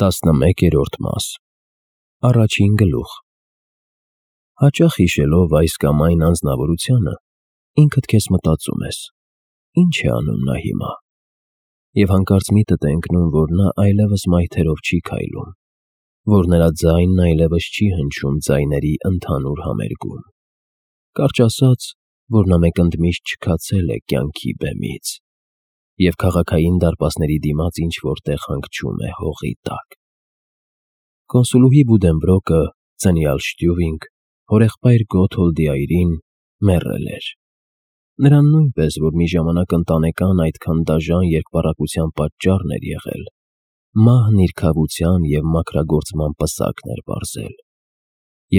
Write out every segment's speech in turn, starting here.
11-րդ մաս Առաջին գլուխ Հաճախ հիշելով այս կամ այն անձնավորությունը, ինքդ քեզ մտածում ես. ինչ է անում նա հիմա, և հանկարծ միտդ է ընկնում, որ նա այլևս մայթերով չի քայլում, որ նրա ձայնն այլևս չի հնչում ձայների ընդհանուր համերգում, կարճ ասած, որ նա մեկ ընդմիշտ չքացել է կյանքի բեմից, և քաղաքային դարպասների դիմաց ինչ-որ տեղ հանգչում է հողի տակ։ Կոնսուլուհի Բուդենբրոկը, ծնյալ Շտյուվինգ, հորեղբայր Գոթհոլդի այրին, մեռել էր։ Նրան նույնպես, որ մի ժամանակ ընտանեկան այդքան դաժան երկպառակտության պատճառն էր եղել, մահն իր քավության և մաքրագործման պսակն էր պարզել։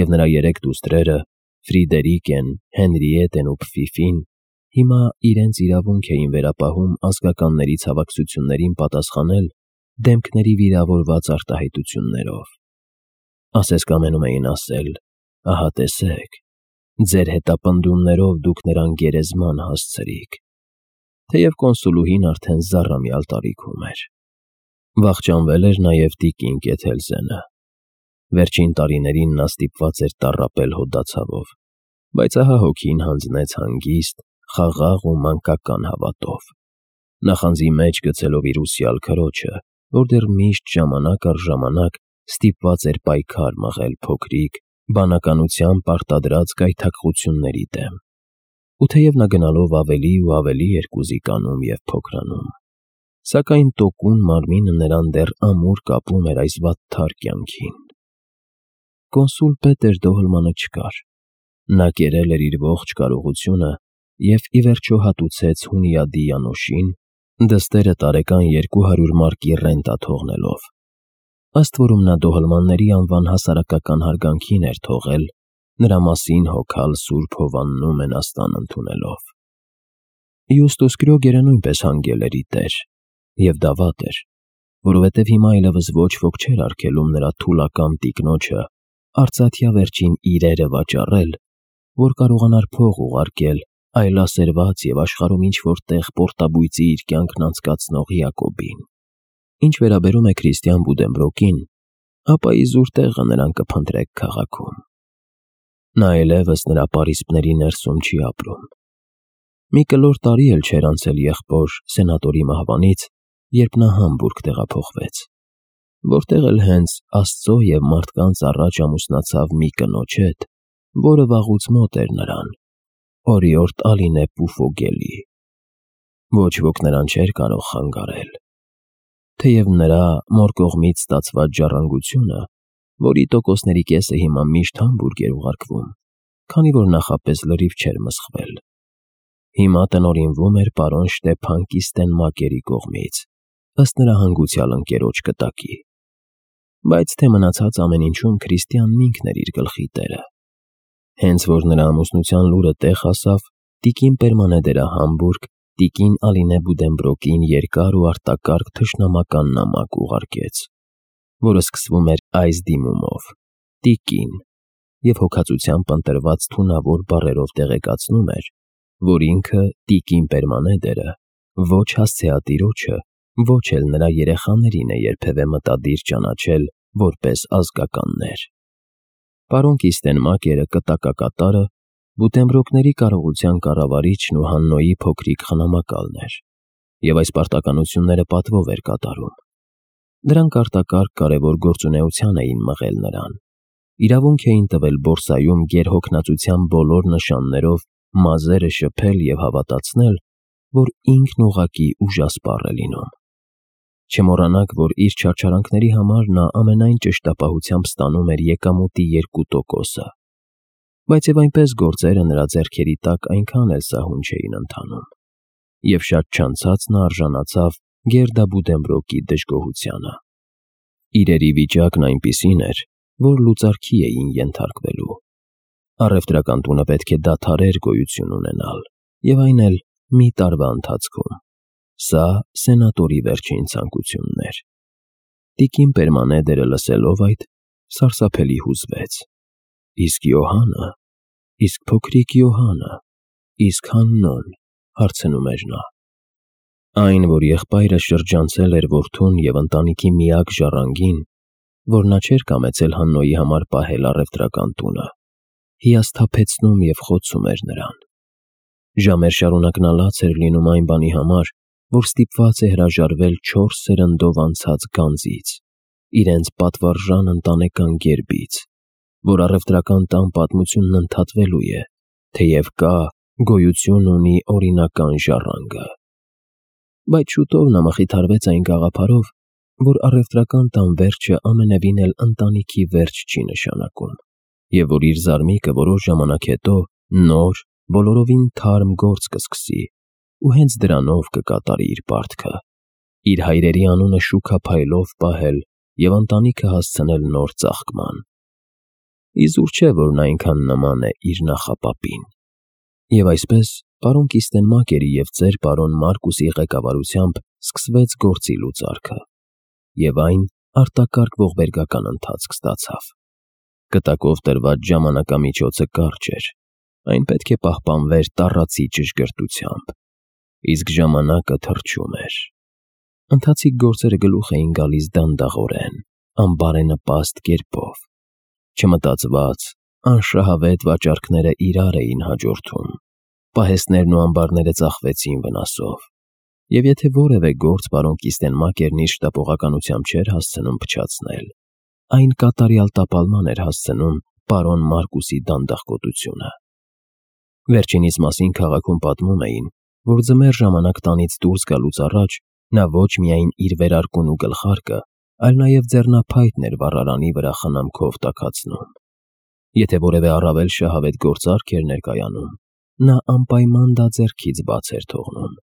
Եվ նրա երեք դուստրերը՝ Ֆրիդերիկեն, Հենրիետեն ու Փֆիֆին, հիմա իրենց իրավունք էին վերապահում ազգականների ցավակցություններին պատասխանել դեմքների վիրավորված արտահայտություններով։ Ասես կամենում էին ասել. «Ահա տեսեք, ձեր հետապնդումներով դուք նրան գերեզման հասցրիք», թեև կոնսուլուհին արդեն զառամյալ տարիքում էր։ Վախճանվել էր նաև տիկին Կեթելզենը։ Վերջին տարիներին նա ստիպված էր տառապել հոդացավով, բայց ահա հոգին հանձնեց հանգիստ, խաղաղ ու մանկական հավատով, նախանձի մեջ գցելով իր ուսյալ քրոջը, որ դեռ միշտ ժամանակ առ ժամանակ ստիպված էր պայքար մղել փոքրիկ, բանականությամբ պարտադրած գայթակղությունների դեմ, ու թեև նա գնալով ավելի ու ավելի էր կուզիկանում և փոքրանում, սակայն տոկուն մարմինը նրան դեռ ամուր կապում էր այս վատթար կյանքին։ Կոնսուլ Պետեր Դոհլմանը չկար։ Նա կերել էր իր ողջ կարողությունը և ի վերջո հատուցեց Հունիադի Յանոշին, դստերը տարեկան 200 մարկի ռենտա թողնելով, ըստ որում նա Դոհլմանների անվան հասարակական հարգանքին էր թողել, նրա մասին հոգալ Սուրբ Հովաննու մենաստան ընդունելով։ Յուստուս Կրյոգերը նույնպես հանգել էր ի տեր, և դա վատ էր, որովհետև հիմա այլևս ոչ ոք չէր արգելում նրա թուլակամ տիկնոջը արծաթյա վերջին իրերը վաճառել, որ կարողանար փող ուղարկել այլասերված և աշխարհում ինչ-որ տեղ պորտաբույծի իր կյանքն անցկացնող Յակոբին։ Ինչ վերաբերում է Քրիստիան Բուդենբրոկին, ապա իզուր տեղը նրան կփնտրեք քաղաքում։ Նա այլևս նրա պարիսպների ներսում չի ապրում։ Մի կլոր տարի էլ չէր անցել եղբոր սենատորի մահվանից, երբ նա Համբուրգ տեղափոխվեց, որտեղ էլ հենց Աստծո և մարդկանց առաջ ամուսնացավ մի կնոջ հետ, որը վաղուց մոտ էր նրան, օրիորդ Ալինե Պուֆոգելի։ Ոչ ոք նրան չէր կարող խանգարել, թեև նրա մոր կողմից ստացված ժառանգությունը, որի տոկոսների կեսը հիմա միշտ Համբուրգ էր ուղարկվում, քանի որ նախապես լրիվ չէր մսխվել, հիմա տնօրինվում էր պարոն Շտեփան Կիստենմակերի կողմից, ըստ նրա հանգուցյալ ընկերոջ կտակի։ Բայց թե մնացած ամեն ինչում Քրիստիանն ինքն էր իր գլխի տերը։ Հենց որ նրա ամուսնության լուրը տեղ հասավ, տիկին Պերմանեդերը Համբուրգ տիկին Ալինե Բուդենբրոկին երկար ու արտակարգ թշնամական նամակ ուղարկեց, որը սկսվում էր այս դիմումով. «Տիկին», և հոգածությամբ ընտրված թունավոր բառերով տեղեկացնում էր, որ ինքը տիկին Պերմանեդերը ոչ հասցեատիրոջը, ոչ էլ նրա երեխաներին է երբևէ մտադիր ճանաչել որպես ազգականներ։ Պարոն Կիստենմակերը կտակակատարը Բուդենբրոկների կարողության կառավարիչն ու Հաննոյի փոքրիկ խնամակալն էր, և այս պարտականությունները պատվով էր կատարում։ Դրանք արտակարգ կարևոր գործունեության էին մղել նրան, իրավունք էին տվել բորսայում գերհոգնածության բոլոր նշաններով մազերը շփել և հավատացնել, որ ինքն ուղղակի ուժասպառ է լինում։ Չմոռանաք, որ իր չարչարանքների համար նա ամենայն ճշտապահությամբ ստանում էր եկամուտի 2%, բայց և այնպես գործերը նրա ձեռքերի տակ այնքան էլ սահուն չէին ընթանում, և շատ չանցած նա արժանացավ Գերդա Բուդենբրոկի դժգոհությանը։ Իրերի վիճակն այնպիսին էր, որ լուծարքի էին ենթարկվելու։ Առևտրական տունը պետք է դադարեր գոյություն ունենալ, և այն էլ մի տարվա ընթացքում։ Սա սենատորի վերջին ցանկությունն էր։ Տիկին Պերմանեդերը լսելով այդ, սարսափելի հուզվեց։ Իսկ Յոհանը, իսկ փոքրիկ Յոհանը, իսկ Հաննոն, հարցնում էր նա։ Այն, որ եղբայրը շրջանցել էր որդուն և ընտանիքի միակ ժառանգին, որ նա չէր կամեցել Հաննոյի համար պահել առևտրական տունը, հիասթափեցնում և խոցում էր նրան։ Ժամեր շարունակ նա լաց էր լինում այն բանի համար, որ ստիպված է հրաժարվել 4 սերնդով անցած գանձից, իրենց պատվարժան ընտանեկան գերբից, որ առևտրական տան պատմությունն ընդհատվելու է, թեև կա, գոյություն ունի օրինական ժառանգը։ Բայց շուտով նա մխիթարվեց այն գաղափարով, որ առևտրական տան վերջը ամենևին էլ ընտանիքի վերջ չի նշանակում, և որ իր զարմիկը որոշ ժամանակ հետո նոր, բոլորովին թարմ գործ կսկսի ու հենց դրանով կկատարի իր պարտքը, իր հայրերի անունը շուքափայլով պահել և ընտանիքը հասցնել նոր ծաղկման։ Իզուր չէ, որ նա այնքան նման է իր նախապապին։ Եվ այսպես, պարոն Կիստենմակերի և ծեր պարոն Մարկուսի ղեկավարությամբ սկսվեց գործի լուծարքը, և այն արտակարգ ողբերգական ընթացք ստացավ։ Կտակով տրված ժամանակամիջոցը կարճ էր, այն պետք է պահպանվեր տառացի ճշգրտությամբ, իսկ ժամանակը թռչում էր։ Ընթացիկ գործերը գլուխ էին գալիս դանդաղորեն, անբարենպաստ կերպով։ Չմտածված, անշահավետ վաճառքները իրար էին հաջորդում, պահեստներն ու ամբարները ծախվեցին վնասով, և եթե որևէ գործ պարոն Կիստենմակերն իր շտապողականությամբ չէր հասցնում փչացնել, այն կատարյալ տապալման էր հասցնում պարոն Մարկուսի դանդաղկոտությունը։ Վերջինիս մասին քաղաքում պատմում էին, որ ձմեռ ժամանակ տանից դուրս գալուց առաջ նա ոչ միայն իր վերարկուն ու գլխարկը, այլ նաև ձեռնափայտն էր վառարանի վրա խնամքով տաքացնում։ Եթե որևէ առավել շահավետ գործարք էր ներկայանում, նա անպայման դա ձեռքից բաց էր թողնում։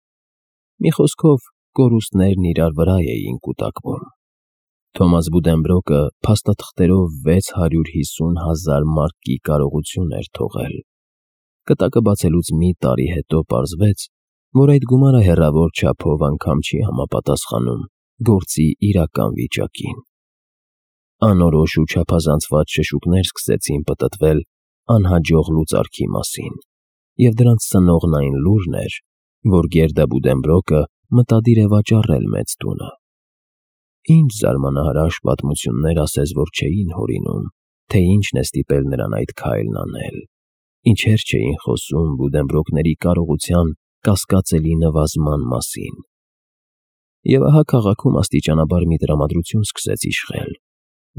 Մի խոսքով, կորուստներն իրար վրա էին կուտակվում։ Թոմաս Բուդենբրոկը փաստաթղթերով 650,000 մարկի կարողություն էր թողել։ Կտակը բացելուց մի տարի հետո պարզվեց, որ այդ գումարը հեռավոր չափով անգամ չի համապատասխանում գործի իրական վիճակին։ Անորոշ ու չափազանցված շշուկներ սկսեցին պտտվել անհաջող լուծարքի մասին, և դրանց սնողն այն լուրն էր, որ Գերդա Բուդենբրոկը մտադիր է վաճառել մեծ տունը։ Ինչ զարմանահրաշ պատմություններ ասես որ չէին հորինում, թե ինչն է ստիպել նրան այդ քայլն անել, ինչեր չէին խոսում Բուդենբրոկների կարողության կասկածելի նվազման մասին։ Եվ ահա քաղաքում աստիճանաբար մի տրամադրություն սկսեց իշխել,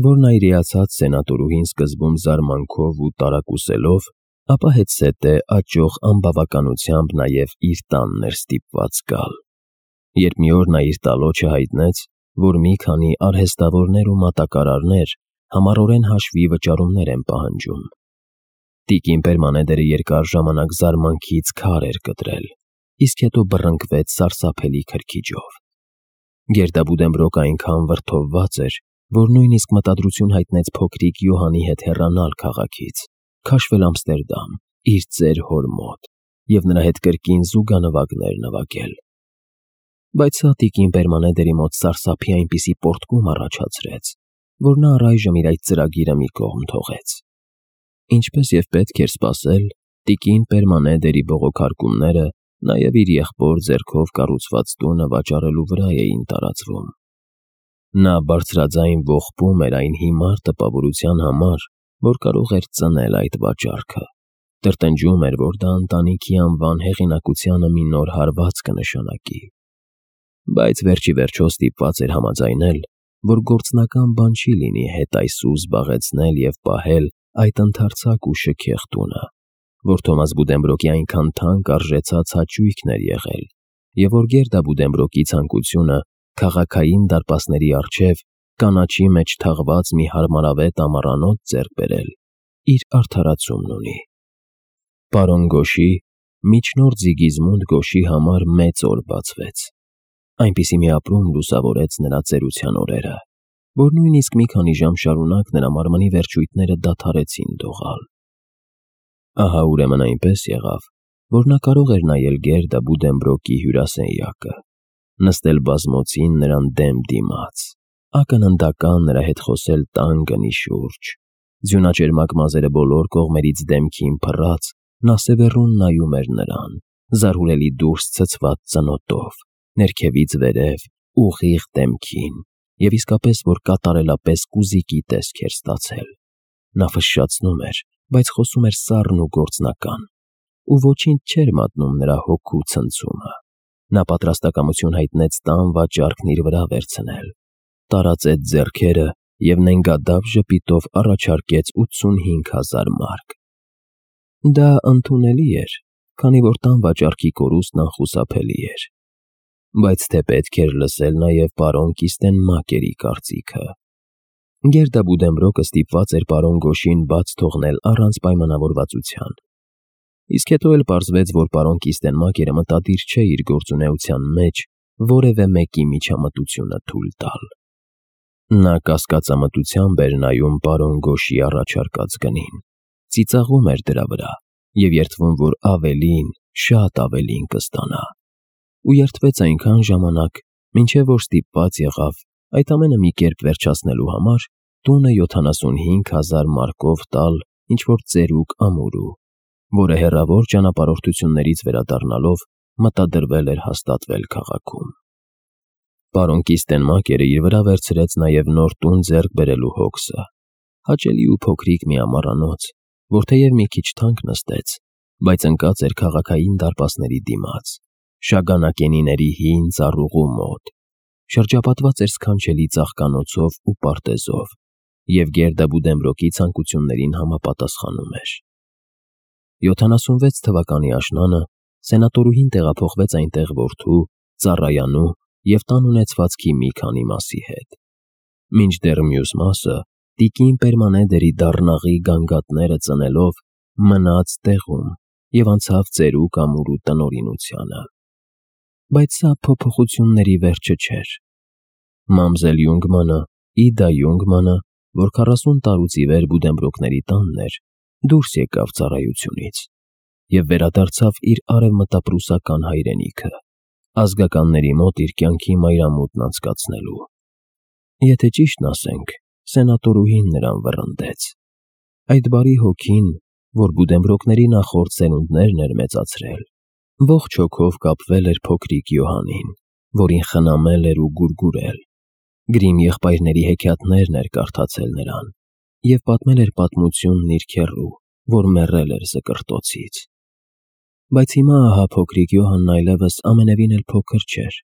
որն այրիացած սենատորուհին սկզբում զարմանքով ու տարակուսելով, ապա հետզհետե աճող անբավականությամբ նաև իր տանն էր ստիպված գալ։ Երբ մի օր նա իր տալոջը հայտնեց, որ մի քանի արհեստավորներ ու մատակարարներ համառորեն հաշվի վճարումներ են պահանջում, տիկին Պերմանեդերը երկար ժամանակ զարմանքից քար էր կտրել, իսկ հետո բռնկվեց սարսափելի քրքիջով։ Գերդա Բուդենբրոկը այնքան վրդովված էր, որ նույնիսկ մտադրություն հայտնեց փոքրիկ Յոհանի հետ հեռանալ քաղաքից, քաշվել Ամստերդամ, իր ծեր հոր մոտ, և նրա հետ կրկին զուգանվագներ նվագել։ Բայց սա տիկին Պերմանեդերի մոտ սարսափի այնպիսի պոռթկում առաջացրեց, որ նա առայժմ իր այդ ծրագիրը մի կողմ թողեց։ Ինչպես և պետք էր սպասել, տիկին Պերմանեդերի բողոքարկումները նաև իր եղբոր ձեռքով կառուցված տունը վաճառելու վրա էին տարածվում։ Նա բարձրաձայն ողբում էր այն հիմար տպավորության համար, որ կարող էր ծնել այդ վաճառքը, տրտնջում էր, որ դա ընտանիքի անվան հեղինակությանը մի նոր հարված կնշանակի։ Բայց վերջիվերջո ստիպված էր համաձայնել, որ գործնական բան չի լինի հետայսու զբաղեցնել և պահել այդ ընդարձակ ու շքեղ տունը, որ Թոմաս Բուդենբրոկի այնքան թանկ արժեցած հաճույքն էր եղել, և որ Գերդա Բուդենբրոկի ցանկությունը քաղաքային դարպասների առջև կանաչի մեջ թաղված մի հարմարավետ ամառանոց ձեռք բերել, իր արդարացումն ունի։ Պարոն Գոշի, միջնորդ Զիգիզմունդ Գոշի համար մեծ օր բացվեց։ Այնպիսի մի ապրում լուսավորեց նրա ծերության օրերը, որ նույնիսկ մի քանի ժամ շարունակ նրա մարմնի վերջույթները դադարեցին դողալ։ Ահա ուրեմն այնպես եղավ, որ նա կարող էր նայել Գերդա Բուդենբրոկի հյուրասենյակը, նստել բազմոցին նրան դեմ դիմաց, ակննդական նրա հետ խոսել տան գնի շուրջ, ձյունաճերմակ մազերը բոլոր կողմերից դեմքին փռած, նա սևեռուն նայում էր նրան, զարհուրելի դուրս ցցված ծնոտով, ներքևից վերև, ուղիղ դեմքին, և իսկապես որ կատարելապես կուզիկի տեսք էր ստացել։ Նա ֆշշացնում էր, բայց խոսում էր սառն ու գործնական, ու ոչինչ չէր մատնում նրա հոգու ցնցումը։ Նա պատրաստակամություն հայտնեց տան վաճառքն իր վրա վերցնել, տարածեց ձեռքերը և նենգադափ ժպիտով առաջարկեց 85,000 մարկ։ Դա ընդունելի էր, քանի որ տան վաճառքի կորուստն անխուսափելի էր, բայց թե պետք էր լսել նաև պարոն Կիստենմակերի կարծիքը։ Գերդա Բուդենբրոկը ստիպված էր պարոն Գոշին բաց թողնել առանց պայմանավորվածության։ Իսկ հետո էլ պարզվեց, որ պարոն Կիստենմակերը մտադիր չէ իր գործունեության մեջ որևէ մեկի միջամտությունը թույլ տալ։ Նա կասկածամտությամբ էր նայում պարոն Գոշի առաջարկած գնին, ծիծաղում էր դրա վրա և երդվում, որ ավելին, շատ ավելին կստանա, ու երդվեց այնքան ժամանակ, մինչև որ ստիպված եղավ այդ ամենը մի կերպ վերջացնելու համար տունը 75,000 մարկով տալ ինչ-որ ծերուկ ամուրու, որը հեռավոր ճանապարհորդություններից վերադառնալով մտադրվել էր հաստատվել քաղաքում։ Պարոն Կիստենմակերը իր վրա վերցրեց նաև նոր տուն ձեռք բերելու հոգսը, հաճելի ու փոքրիկ մի ամառանոց, որ թեև մի քիչ թանկ նստեց, բայց ընկած էր քաղաքային դարպասների դիմաց, շագանակենիների հին ծառուղու մոտ, շրջապատված էր սքանչելի ծաղկանոցով ու պարտեզով և Գերդա Բուդենբրոկի ցանկություններին համապատասխանում էր։ 76 թվականի աշնանը սենատորուհին տեղափոխվեց այնտեղ որդու, ծառայանու և տան ունեցվածքի մի քանի մասի հետ։ Մինչդեռ մյուս մասը տիկին Պերմանեդերի դառնաղի գանգատները ծնելով մնաց տեղում և անցավ ծերուկ ամուրու տնօրինությանը։ Բայց սա փոփոխությունների վերջը չէր։ Մամզել Յունգմանը, Իդա Յունգմանը, որ 40 տարուց ի վեր Բուդենբրոկների տանն էր, դուրս եկավ ծառայությունից և վերադարձավ իր արևմտապրուսական հայրենիքը, ազգականների մոտ իր կյանքի մայրամուտն անցկացնելու։ Եթե ճիշտն ասենք, սենատորուհին նրան վռնդեց։ Այդ բարի հոգին, որ Բուդենբրոկների նախորդ սերունդներն էր մեծացրել, ողջ հոգով կապվել էր փոքրիկ Յոհանին, որին խնամել էր ու գուրգուրել, Գրիմ եղբայրների հեքիաթներն էր կարդացել նրան և պատմել էր պատմությունն իր քեռու, որ մեռել էր զկրտոցից։ Բայց հիմա ահա փոքրիկ Յոհանն այլևս ամենևին էլ փոքր չէր։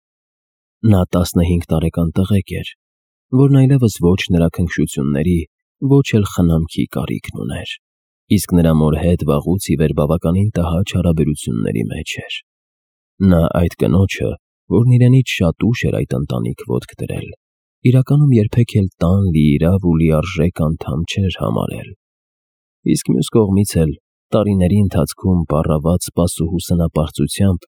Նա 15 տարեկան տղեկ էր, որն այլևս ոչ նրա քնքշությունների, ոչ էլ խնամքի կարիքն ուներ, իսկ նրա մոր հետ վաղուց ի վեր բավականին տհաճ հարաբերությունների մեջ էր։ Նա այդ կնոջը, որն իրենից շատ ուշ էր այդ ընտանիք ոտք դրել, իրականում երբեք էլ տան լիիրավ ու լիարժեք անդամ չէր համարել։ Իսկ մյուս կողմից էլ տարիների ընթացքում պառաված սպասուհու սնապարծությամբ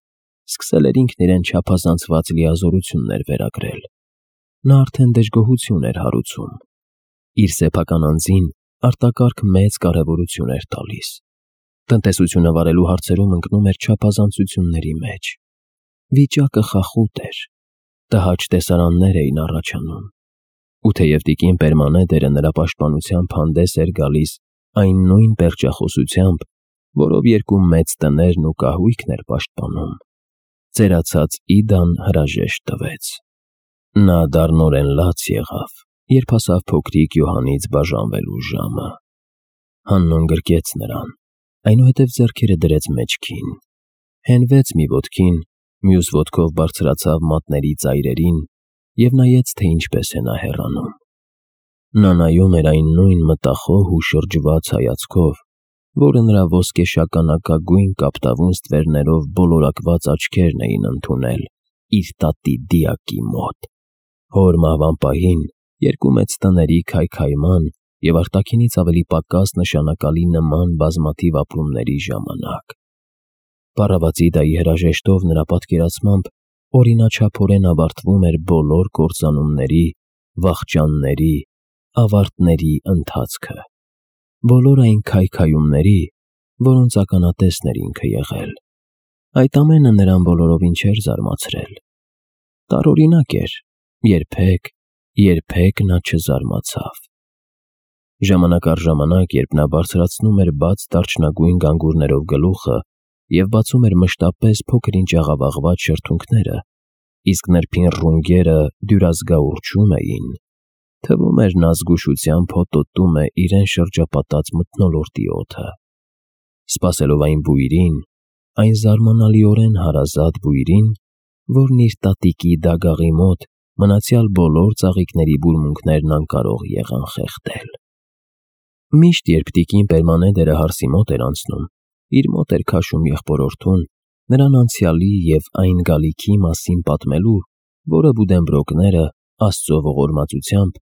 սկսել էր ինքն իրեն չափազանցված լիազորություններ վերագրել։ Նա արդեն դժգոհություն էր հարուցում։ Իր սեփական անձին արտակարգ մեծ կարևորություն էր տալիս։ Տնտեսությունը վարելու հարցերում ընկնում էր չափազանցությունների մեջ։ Վիճակը խախուտ էր։ Տհաճ տեսարաններ էին առաջանում։ Ու թեև տիկին Պերմանեդերը նրա պաշտպանությամբ հանդես էր գալիս այն նույն պերճախոսությամբ, որով երկու մեծ տներն ու կահույքն էր պաշտպանում, ծերացած Իդան հրաժեշտ տվեց։ Նա դառնորեն լաց եղավ, երբ հասավ փոքրիկ Յոհանից բաժանվելու ժամը։ Հաննոն գրկեց նրան, այնուհետև ձեռքերը դրեց մեջքին, հենվեց մի ոտքին, մյուս ոտքով բարձրացավ մատների ծայրերին և նայեց, թե ինչպես է նա հեռանում։ Նա նայում էր այն նույն մտախոհ ու շրջված հայացքով, որը նրա ոսկեշագանակագույն կապտավուն ստվերներով բոլորակված աչքերն էին ընդունել իր տատի դիակի մոտ։ Հոր մահվան պահին երկու մեծ տների քայքայման և արտաքինից ավելի պակաս նշանակալի նման բազմաթիվ ապրումների ժամանակ։ Պառավաց Իդայի հրաժեշտով նրա պատկերացմամբ օրինաչափորեն ավարտվում էր բոլոր կործանումների, վախճանների, ավարտների ընթացքը, բոլոր այն քայքայումների, որոնց ականատեսն էր ինքը եղել։ Այդ ամենը նրան բոլորովին չէր զարմացրել։ Տարօրինակ էր, երբեք նա չզարմացավ։ Ժամանակ առ ժամանակ, երբ նա բարձրացնում էր բաց դարչնագույն գանգուրներով գլուխը և բացում էր մշտապես փոքր-ինչ աղավաղված շրթունքները, իսկ նրբին ռունգերը դյուրազգա ուռչում էին, թվում էր նա զգուշությամբ հոտոտում է իրեն շրջապատած մթնոլորտի օդը։ Սպասելով այն բույրին, այն զարմանալիորեն հարազատ բույրին, որն իր տատիկի դագաղի մոտ մնացյալ բոլոր ծաղիկների բուրմունքներն անկարող եղան խեղդել։ Միշտ, երբ տիկին Պերմանեդերը հարսի մոտ էր անցնում, իր մոտ էր քաշում եղբորորդուն, նրան անցյալի և այն գալիքի մասին պատմելու, որը Բուդենբրոկները, Աստծո ողորմածությամբ,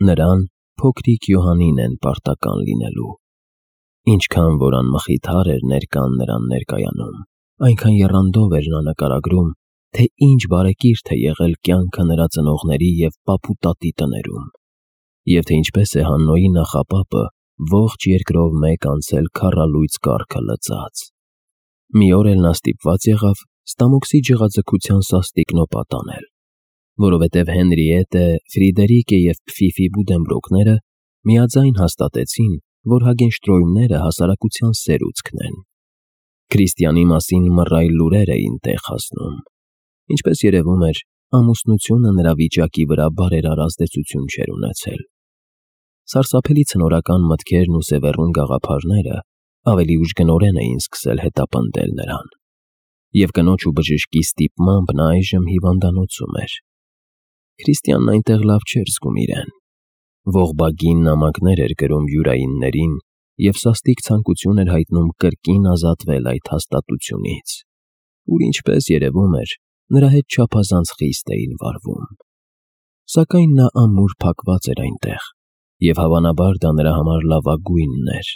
նրան, փոքրիկ Յոհանին են պարտական լինելու։ Ինչքան որ անմխիթար էր ներկան նրան ներկայանում, այնքան եռանդով էր նա նկարագրում, թե ինչ բարեկիրթ է եղել կյանքը նրա ծնողների և պապու տատի տներում, և թե ինչպես է Հաննոյի նախապապը ողջ երկրով մեկ անցել քառալույծ կառքը լծած։ Մի օր էլ նա ստիպված եղավ ստամոքսի ջղաձգության սաստիկ նոպատ անել, որովհետև Հենրիետը, Ֆրիդերիկը և Փֆիֆի Բուդենբրոկները միաձայն հաստատեցին, որ Հագենշտրոյմները հասարակության սերուցքն են։ Քրիստիանի մասին մռայլ լուրեր էին տեղ հասնում։ Ինչպես երևում էր, ամուսնությունը նրա վիճակի վրա բարերար ազդեցություն չէր ունեցել։ Սարսափելի ցնորական մտքերն ու սևեռուն գաղափարները ավելի ուժգնորեն էին սկսել հետապնդել նրան, և կնոջ ու բժշկի ստիպմամբ նա այժմ հիվանդանոցում էր։ Քրիստիանն այնտեղ լավ չէր զգում իրեն։ Ողբագին նամակներ էր գրում յուրայիններին և սաստիկ ցանկություն էր հայտնում կրկին ազատվել այդ հաստատությունից, ուր, ինչպես երևում էր, նրա հետ չափազանց խիստ էին վարվում։ Սակայն նա ամուր փակված էր այնտեղ, և հավանաբար դա նրա համար լավագույնն էր։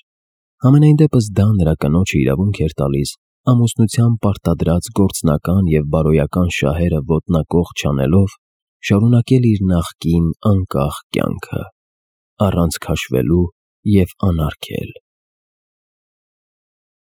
Համենայն դեպս դա նրա կնոջը իրավունք էր տալիս ամուսնության պարտադրած գործնական և բարոյական շահերը ոտնակող չանելով շարունակել իր նախկին անկախ կյանքը, առանց քաշվելու և անարգել։